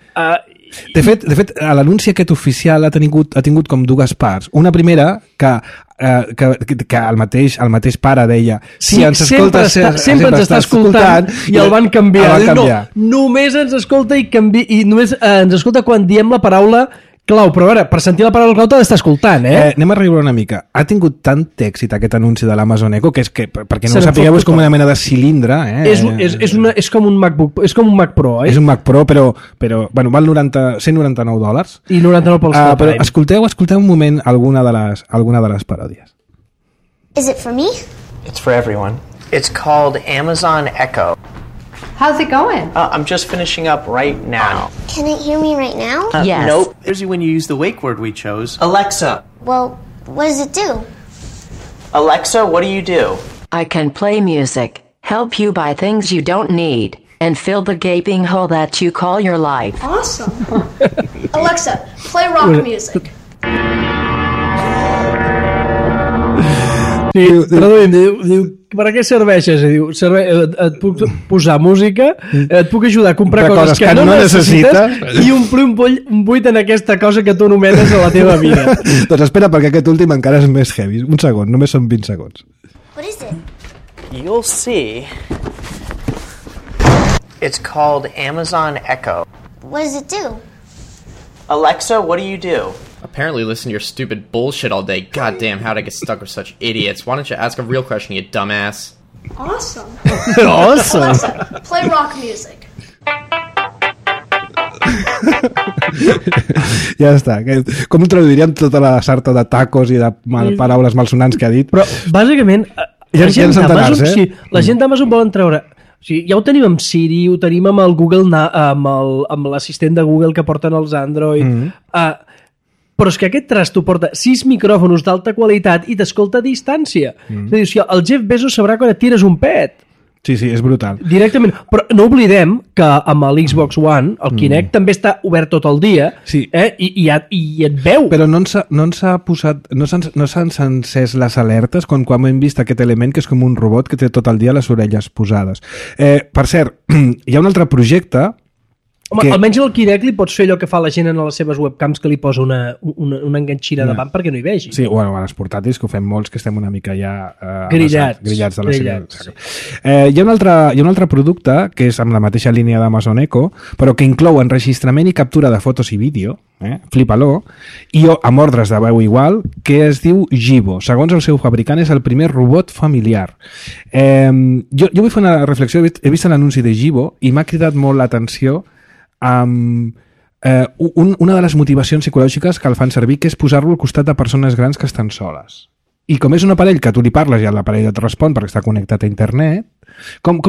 De fet, l'anunci aquest oficial ha tingut com dues parts. Una primera que el mateix pare deia sí, ens escolta, sempre ens està escoltant i el van canviar. No, només ens escolta i només ens escolta quan diem la paraula clau, però a veure, per sentir la paraula clau t'ha d'estar escoltant, anem a riure una mica. Ha tingut tant èxit aquest anunci de l'Amazon Echo que és que, perquè no ho sapigueu, és com una mena de cilindre. És com un MacBook, és com un Mac Pro, És un Mac Pro, però bueno, val $199. I 99 pels però escolteu un moment alguna de les paròdies. Is it for me? It's for everyone. It's called Amazon Echo. How's it going? I'm just finishing up right now. Can it hear me right now? Yes. Nope. Here's when you use the wake word we chose. Alexa. Well, what does it do? Alexa, what do you do? I can play music, help you buy things you don't need, and fill the gaping hole that you call your life. Awesome. Alexa, play rock music. Sí, traduïm, diu, per a què serveixes? Diu, et puc posar música, et puc ajudar a comprar coses que no necessites i omplir un buit en aquesta cosa que tu anomenes a la teva vida. Doncs espera, perquè aquest últim encara és més heavy. Un segon, només són 20 segons. What is it? You'll see. It's called Amazon Echo. What does it do? Alexa, what do you do? Apparently listen to your stupid bullshit all day. God damn, how'd I get stuck with such idiots? Why don't you ask a real question, you dumbass? Awesome. Awesome. Alexa, play rock music. Ja està. Com ho traduiríem tota la sarta de tacos i de paraules malsonants que ha dit? Però, bàsicament, la gent d'Amazon volen treure... O sigui, ja ho tenim amb Siri, ho tenim amb el Google, amb l'assistent de Google que porten els Android. Però és que aquest trasto porta 6 micròfons d'alta qualitat i t'escolta a distància. És a dir, o sigui, el Jeff Bezos sabrà quan et tires un pet. Sí, és brutal. Directament. Però no oblidem que amb l'Xbox One, el Kinect també està obert tot el dia, sí. I et veu. Però no s'han encès les alertes quan hem vist aquest element que és com un robot que té tot el dia les orelles posades. Per cert, hi ha un altre projecte... Home, almenys al Kinect li pots fer allò que fa la gent en les seves webcams, que li posa una enganxina davant perquè no hi vegi. Sí, bueno, a les portàtils, que ho fem molts, que estem una mica ja grillats de la sèrie. Hi ha un altre producte, que és amb la mateixa línia d'Amazon Echo, però que inclou enregistrament i captura de fotos i vídeo, flipa-lo, i amb ordres de veu igual, que es diu Jibo. Segons el seu fabricant, és el primer robot familiar. Jo vull fer una reflexió. He vist l'anunci de Jibo i m'ha cridat molt l'atenció una de les motivacions psicològiques que el fan servir, que és posar-lo al costat de persones grans que estan soles. I com és un aparell que tu li parles i l'aparell et respon perquè està connectat a internet, com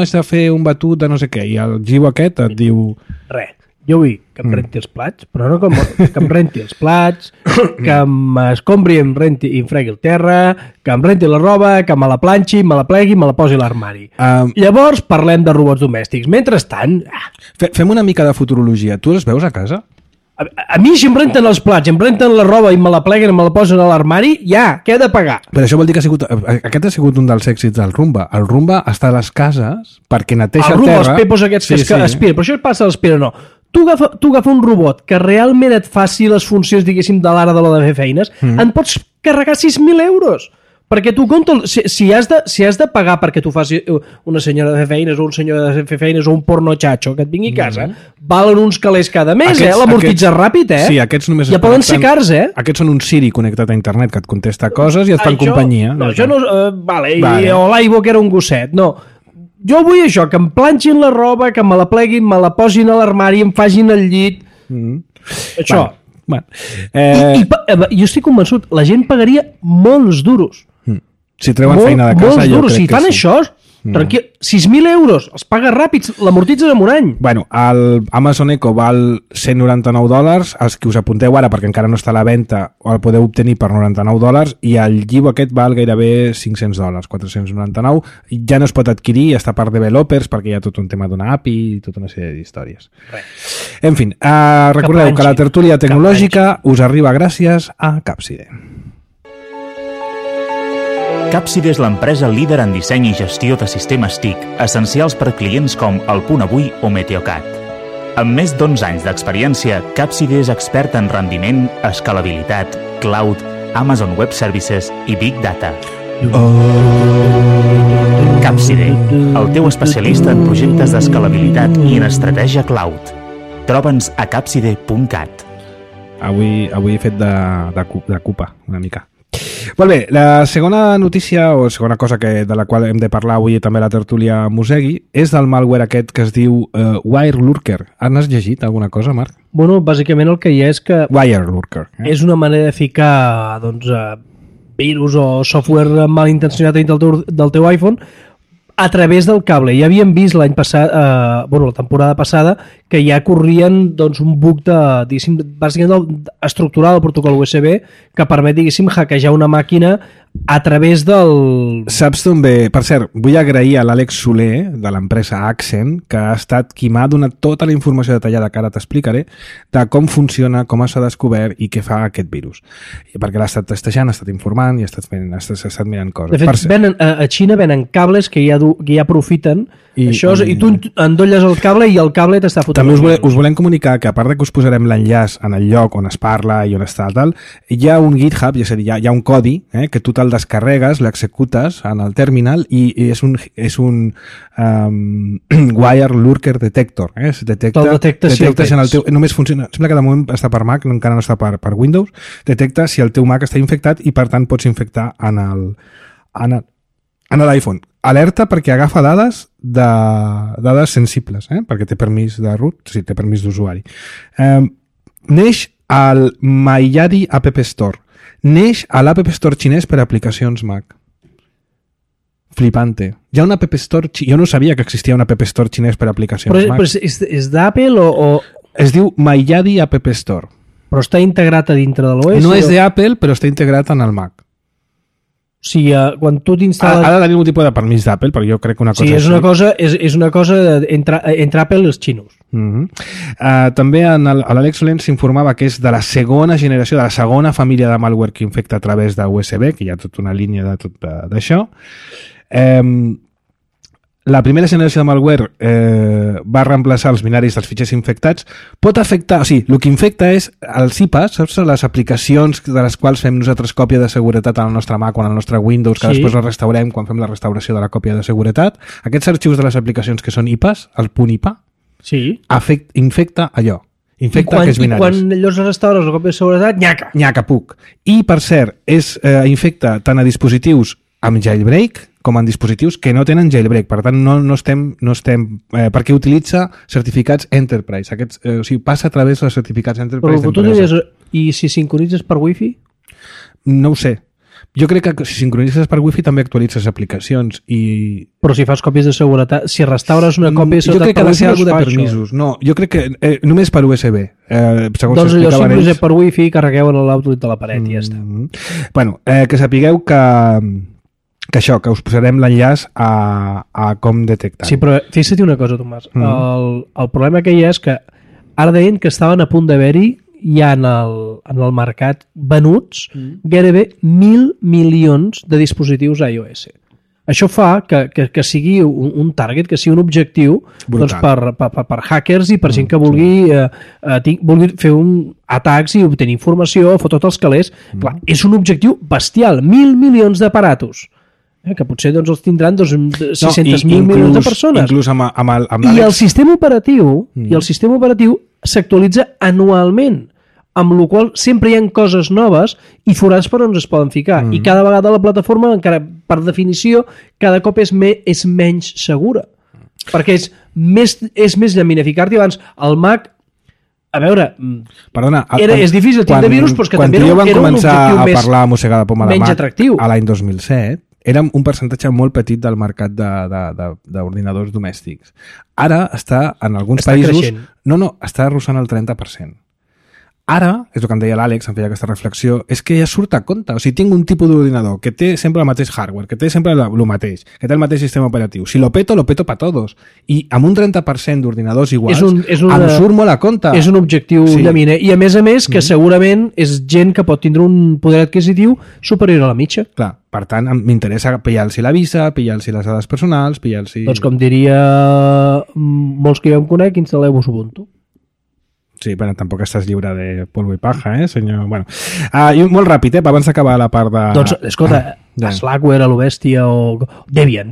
has de fer un batut de no sé què, i el Jibo aquest et diu... Res. Jo vull que em renti els plats, però no que em renti els plats, que m'escombri, i em fregui el terra, que em renti la roba, que me la planxi, me la plegui, me la posi a l'armari. Llavors parlem de robots domèstics. Mentrestant... Fem una mica de futurologia. Tu els veus a casa? A mi si em renten els plats, em renten la roba i me la pleguen i me la posen a l'armari, ja, què he de pagar? Però això vol dir que aquest ha sigut un dels èxits del Roomba. El Roomba està a les cases perquè neteja el terra... El Roomba, els pepos aquests que aspira, però això passa a l'aspira, no. Tu agafa un robot que realment et faci les funcions, diguéssim, de l'ara de la de fer feines, en pots carregar 6.000 euros. Perquè tu, si has de pagar perquè tu faci una senyora de fer feines o un senyor de fer feines o un porno xatxo que et vingui a casa, valen uns calés cada mes, l'amortitza ràpid, Sí, aquests només ja poden ser cars, Aquests són un Siri connectat a internet que et contesta coses i et fan companyia. No, això no... Vale. O l'Aibo, que era un gosset, no. Jo vull això, que em planxin la roba, que me la pleguin, me la posin a l'armari, em fagin el llit. Això. Bueno. Jo estic convençut, la gent pagaria molts duros. Si treuen feina de casa, jo crec que sí. Si fan això, tranquil, 6.000 euros, els pagues ràpids, l'amortitzes en un any. Bueno, el Amazon Echo val $199, els que us apunteu ara, perquè encara no està a la venda, el podeu obtenir per $99, i el Jibo aquest val gairebé $500, $499, ja no es pot adquirir, està per developers, perquè hi ha tot un tema d'una API i tota una sèrie d'històries. En fi, recordeu que la tertúlia tecnològica us arriba gràcies a Capside. Capside és l'empresa líder en disseny i gestió de sistemes TIC, essencials per clients com El Punt Avui o Meteocat. Amb més d'11 anys d'experiència, Capside és expert en rendiment, escalabilitat, cloud, Amazon Web Services i Big Data. Capside, el teu especialista en projectes d'escalabilitat i en estratègia cloud. Troba'ns a capside.cat. Avui he fet de cupa, una mica. Molt bé, la segona notícia o segona cosa de la qual hem de parlar avui també a la tertúlia Mosegui és del malware aquest que es diu WireLurker. N'has llegit alguna cosa, Marc? Bueno, bàsicament el que hi ha és que WireLurker. És una manera de ficar, doncs, virus o software malintencionat del teu iPhone a través del cable. Ja havíem vist l'any passat, la temporada passada, que ja corrien doncs, un bug bàsicament estructural del protocol USB que permet, diguéssim, hackejar una màquina a través del... Saps d'on ve? Per cert, vull agrair a l'Àlex Soler, de l'empresa Accent, que ha estat qui m'ha donat tota la informació detallada que ara t'explicaré, de com funciona, com s'ha descobert i què fa aquest virus. Perquè l'ha estat testejant, ha estat informant i ha estat mirant coses. De fet, a Xina venen cables que ja aprofiten això, i tu endolles el cable i el cable t'està fotent. També us volem comunicar que, a part de que us posarem l'enllaç en el lloc on es parla i on està tal, hi ha un GitHub, és a dir, hi ha un codi que tu te'l descarregues, l'executes en el terminal i és un wire lurker detector. Detectes en el teu... Només funciona... Sembla que de moment està per Mac, encara no està per Windows. Detecta si el teu Mac està infectat i, per tant, pots infectar en l'iPhone. Alerta perquè agafa dades sensibles, perquè té permís de root, sí, té permís d'usuari. Neix al Maiyadi App Store. Neix a l'App Store xinès per aplicacions Mac. Flipante. Hi ha un App Store... Jo no sabia que existia un App Store xinès per aplicacions Mac. Però és d'Apple o...? Es diu Maiyadi App Store. Però està integrat a dintre de l'OS? No és d'Apple, però està integrat en el Mac. O sigui, quan tu t'instal·les... Ha de tenir un tipus de permís d'Apple, perquè jo crec que una cosa... Sí, és una cosa entre Apple i els xinos. També a l'Àlex Soler s'informava que és de la segona generació, de la segona família de malware que infecta a través de USB, que hi ha tota una línia de tot d'això. La primera generació de malware va reemplaçar els binaris dels fitxers infectats. Pot afectar, o sigui, el que infecta és els IPAs, saps? Les aplicacions de les quals fem nosaltres còpia de seguretat al nostre Mac o al nostre Windows, que després les restaurem quan fem la restauració de la còpia de seguretat. Aquests arxius de les aplicacions que són IPAs, el punt IPA, infecta allò. Infecta aquests binaris. I quan llavors restaures la còpia de seguretat, nyaca, puc. I, per cert, infecta tant a dispositius amb jailbreak com en dispositius que no tenen jailbreak. Per tant, no estem perquè utilitza certificats Enterprise. O sigui, passa a través dels certificats Enterprise d'empresa. Però tu diries, i si sincronitzes per Wi-Fi? No ho sé. Jo crec que si sincronitzes per Wi-Fi també actualitzes aplicacions i... Però si fas còpies de seguretat, si restaures una còpia de seguretat... Jo crec que ha de ser alguna de permisos. No, jo crec que només per USB. Doncs allò sincronitzes per Wi-Fi, carregueu en l'outlet de la paret i ja està. Bueno, que sapigueu que us posarem l'enllaç a com detectar. Sí, però fixa't una cosa, Tomàs. El problema que hi ha és que ara deien que estaven a punt d'haver-hi ja en el mercat venuts gairebé 1.000 milions de dispositius iOS. Això fa que sigui un target, que sigui un objectiu doncs, per hackers i per gent que vulgui fer atacs i obtenir informació, fotre tots els calés. Clar, és un objectiu bestial, 1.000 milions d'aparatos. Que potser doncs, els tindran 600.000 milions de persones. Inclús amb I el sistema operatiu s'actualitza anualment, amb la qual sempre hi ha coses noves i forats per on es poden ficar. I cada vegada la plataforma, encara per definició, cada cop és menys segura. Perquè és més llamina. Ficar-t'hi abans al Mac... A veure, perdona, és difícil tindre virus, però és que també era un objectiu menys atractiu. Quan vam començar a parlar a mossegar la poma de Mac a l'any 2007, érem un percentatge molt petit del mercat d'ordinadors domèstics. Ara està, en alguns països... Creixent. No, està arrossant el 30%. Ara, és el que em deia l'Àlex, em feia aquesta reflexió, és que ja surt a compte. O sigui, tinc un tipus d'ordinador que té sempre el mateix hardware, que té sempre el mateix, que té el mateix sistema operatiu. Si lo peto pa todos. I amb un 30% d'ordinadors iguals, em surt molt a compte. És un objectiu llaminer. I a més, que segurament és gent que pot tindre un poder adquisitiu superior a la mitja. Clar, per tant, m'interessa pillar-los la visa, pillar-los les dades personals, pillar-los... Doncs com diria molts que jo em conec, instal·leu-vos Ubuntu. Sí, bueno, tampoc estàs lliure de polvo i paja, senyor? Bueno, i molt ràpid, abans d'acabar la part de... Doncs, escolta, Slackware, a lo bèstia o... Debian,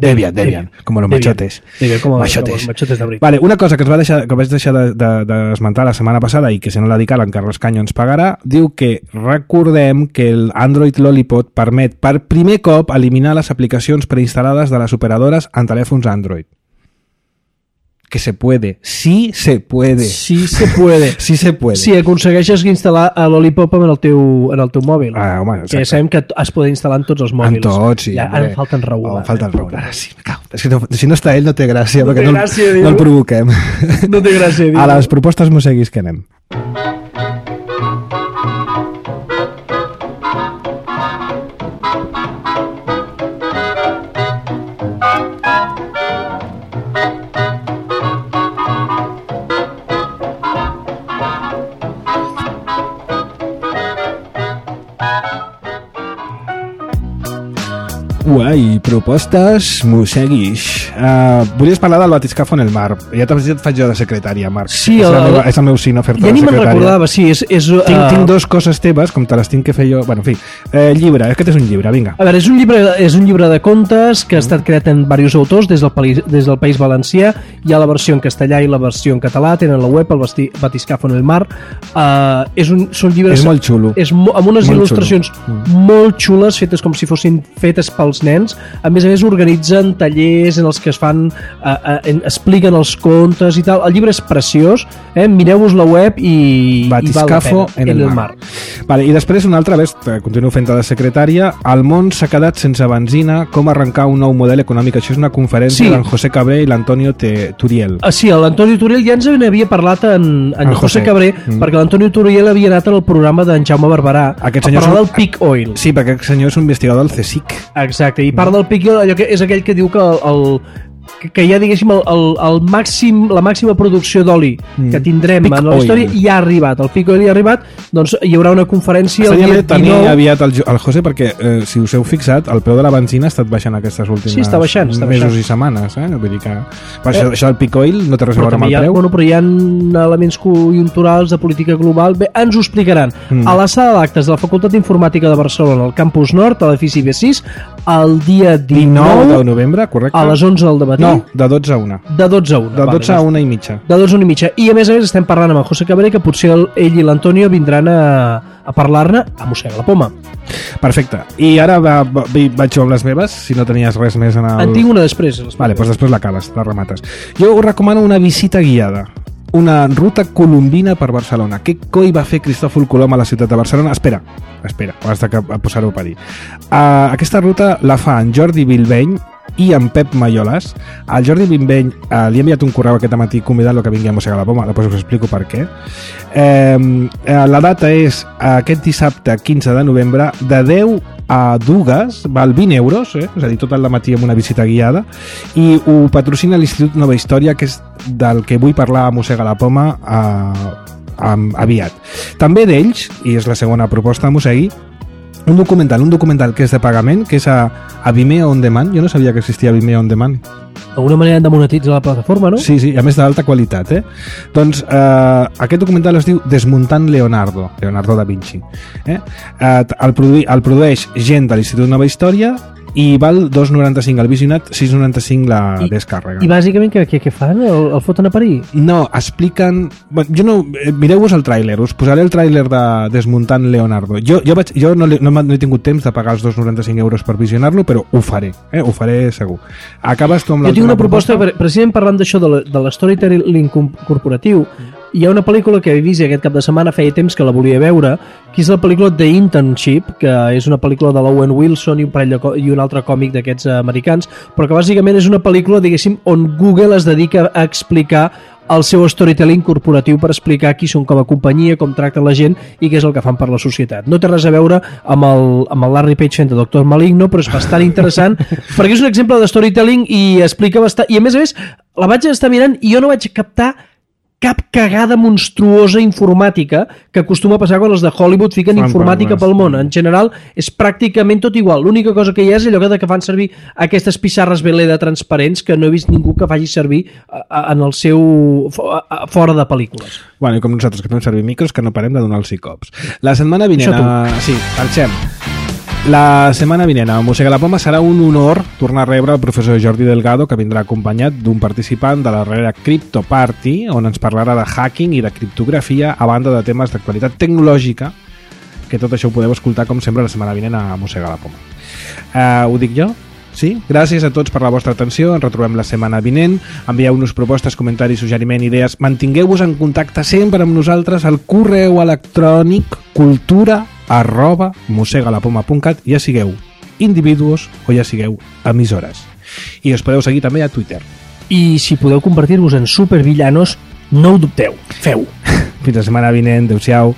com los machotes. Debian, com els machotes de bric. Vale, una cosa que vaig deixar d'esmentar la setmana passada i que si no la dic ara en Carles Canyo ens pagarà, diu que recordem que l'Android Lollipop permet per primer cop eliminar les aplicacions preinstal·lades de les operadores en telèfons Android. que se puede. Sí se puede. Sí se puede. Sí se puede. Si aconsegueixes instal·lar a Lollipop en el teu mòbil. Home, que sabem que es poden instal·lar en tots els mòbils. En tots, sí. Ja, ara falta en Raül. Falta el Raül. Ara sí, me cago. És que si no està ell no té gràcia, no perquè no el provoquem. No té gràcia, A les propostes mosseguis que anem. Guai, propostes mosseguis. Volies parlar del batiscafo en el mar. Ja et faig jo de secretària, Marc. Sí, és el meu cine fer-te de secretària. Ja ni me'n recordava, sí. Tinc dues coses teves, com te les tinc que fer jo. Bueno, en fi, llibre, aquest és un llibre, vinga. A veure, és un llibre de contes que ha estat creat en diversos autors des del País Valencià. Hi ha la versió en castellà i la versió en català. Tenen la web, el batiscafo en el mar. Són llibres... És molt xulo. Amb unes il·lustracions molt xules, fetes com si fossin fetes pels nens. A més organitzen tallers en els que es fan expliquen els contes i tal. El llibre és preciós, mireu-vos la web i Batiscafo en el mar. Vale, i després una altra vez, continuo fent de secretària. El món s'ha quedat sense benzina, com arrencar un nou model econòmic. Això és una conferència d'en José Cabré i l'Antonio Turiel. Sí, l'Antonio Turiel ja ens havia parlat en José Cabré, perquè l'Antonio Turiel havia anat al programa d'en Jaume Barberà a parlar del peak oil. Sí, perquè aquest senyor és un investigador del CSIC. Exacte, i part del peak oil, allò que és aquell que diu que hi ha, diguéssim, la màxima producció d'oli que tindrem en la història ja ha arribat, el peak oil ja ha arribat, doncs hi haurà una conferència el dia 19. Tenir aviat el José, perquè si us heu fixat, el preu de la benzina ha estat baixant aquestes últimes mesos i setmanes, vull dir que això del peak oil no té res a veure amb el preu. Però hi ha elements conjunturals de política global, bé, ens ho explicaran a la sala d'actes de la Facultat d'Informàtica de Barcelona, al campus nord, a l'edifici B6, el dia 19 de novembre, correcte, a les 11 del matí. No, de 12 a 1. De 12 a 1. De 12 a 1 i mitja. De 12 a 1 i mitja. I a més estem parlant amb el José Cabré, que potser ell i l'Antonio vindran a parlar-ne a Mossega la Poma. Perfecte. I ara vaig amb les meves, si no tenies res més en el... En tinc una després. Vale, doncs després l'acabes, la remates. Jo us recomano una visita guiada. Una ruta colombina per Barcelona. Què coi va fer Cristòfol Colom a la ciutat de Barcelona? Espera, has de posar-ho per dir. Aquesta ruta la fa en Jordi Bilbeny i en Pep Mayolas. Al Jordi Bilbeny li he enviat un correu aquest matí convidant-lo que vingui a Mossega la Poma, després us explico per què. La data és aquest dissabte 15 de novembre de 10 a 2, val 20 euros, és a dir, tot el matí amb una visita guiada, i ho patrocina l'Institut Nova Història, que és del que vull parlar a Mossega la Poma aviat. També d'ells, i és la segona proposta de Mossegui, un documental que és de pagament, que és a Vimeo On Demand. Jo no sabia que existia Vimeo On Demand. D'alguna manera de monetitzar la plataforma, no? Sí, a més d'alta qualitat, Doncs aquest documental es diu Desmuntant Leonardo da Vinci. El produeix gent de l'Institut Nova Història i val 2,95 el visionat, 6,95 la descàrrega. I bàsicament què fan? El foten a parir? No, expliquen... Mireu-vos el tràiler, us posaré el tràiler de Desmuntant Leonardo. Jo no he tingut temps de pagar els 2,95 euros per visionar-lo, però ho faré segur. Acabes tu amb l'última proposta? Jo tinc una proposta, precisament parlant d'això de l'storytelling corporatiu. Hi ha una pel·lícula que he vist aquest cap de setmana, feia temps que la volia veure, que és la pel·lícula The Internship, que és una pel·lícula de l'Owen Wilson i un altre còmic d'aquests americans, però que bàsicament és una pel·lícula, diguéssim, on Google es dedica a explicar el seu storytelling corporatiu per explicar qui són com a companyia, com tracten la gent i què és el que fan per la societat. No té res a veure amb el Larry Page fent de Doctor Maligno, però és bastant interessant perquè és un exemple de storytelling i explica bastant... I a més, la vaig estar mirant i jo no vaig captar cap cagada monstruosa informàtica que acostuma a passar quan els de Hollywood fiquen informàtica pel món. En general és pràcticament tot igual. L'única cosa que hi ha és allò que fan servir aquestes pissarres Veleda transparents que no he vist ningú que faci servir en el seu fora de pel·lícules. Bueno, i com nosaltres que fem servir micros que no parem de donar els cops. La setmana vinent... Sí, marxem. La setmana vinent a Mossega la Poma serà un honor tornar a rebre el professor Jordi Delgado, que vindrà acompanyat d'un participant de la darrera Crypto Party, on ens parlarà de hacking i de criptografia, a banda de temes d'actualitat tecnològica, que tot això ho podeu escoltar com sempre la setmana vinent a Mossega la Poma. Ho dic jo? Sí? Gràcies a tots per la vostra atenció, ens retrobem la setmana vinent, envieu-nos propostes, comentaris, suggeriment, idees, mantingueu-vos en contacte sempre amb nosaltres al correu electrònic cultura@mosegalapoma.cat, ja sigueu individus o ja sigueu emissores. I us podeu seguir també a Twitter. I si podeu convertir-vos en supervillanos, no ho dubteu, feu. Fins la setmana vinent, adeu-siau.